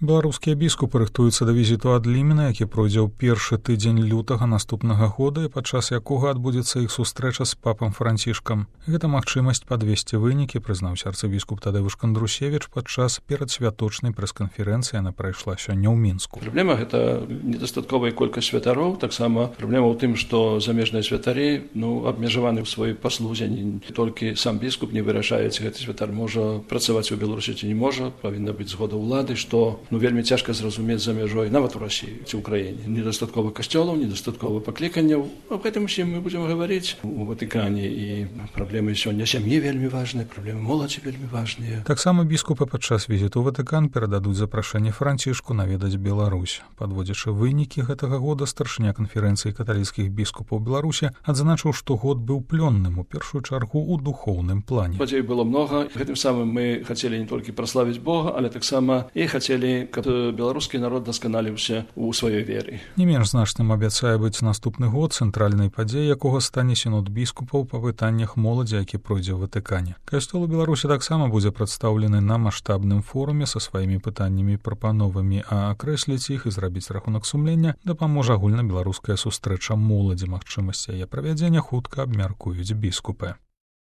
Беларускія біскупы рыхтуюцца да візіту ад Лімена, які пройдзе ў першы тыдзень лютага наступнага года, і падчас якога адбудзецца іх сустрэча з папам Францішкам. Гэта магчымасць падвесці вынікі, прызнаўся арцыбіскуп Тадэвуш Кандрусевіч падчас перадсвяточнай прэс-канферэнцыі, яна прайшла сёння ў Мінску. Праблема гэта недастатковая колькасць святароў, таксама праблема ў тым, што замежныя святары абмежаваны ў сваёй паслузе, не толькі сам біскуп не вырашае, ці гэты святар можа працаваць у Беларусі ці не можа, павінна быць згода ўлады, што вельмі цяжка зразумець за мяжой, нават у Расіі ці ў краіне. Недастаткова касцёлаў, недастаткова пакліканняў. Аб гэтым усім мы будзем гаварыць у Ватыкане, і праблемы сёння сям'і вельмі важныя, праблемы моладзі вельмі важныя. Таксама біскупы падчас візіту ў Ватыкан перададуць запрашэнне Францішку наведаць Беларусь. Падводзячы вынікі гэтага года, старшыня канферэнцыі каталіцкіх біскупаў Беларусі адзначыў, што год быў плённым, у першую чаргу ў духоўным плане. Падзей было многа. Гэтым самым мы хацелі не толькі праславіць Бога, але таксама і хацелі, каб беларускі народ дасканаліўся ў сваёй веры. Не менш значным абяцае быць наступны год, цэнтральнай падзеяй якога стане сінод біскупаў па пытаннях моладзі, які пройдзе ў Ватыкане. Касцёл у Беларусі таксама будзе прадстаўлены на маштабным форуме са сваімі пытаннямі і прапановамі, а акрэсліць іх і зрабіць рахунак сумлення дапаможа агульнабеларуская сустрэча моладзі. Магчымасць яе правядзення хутка абмяркуюць біскупы.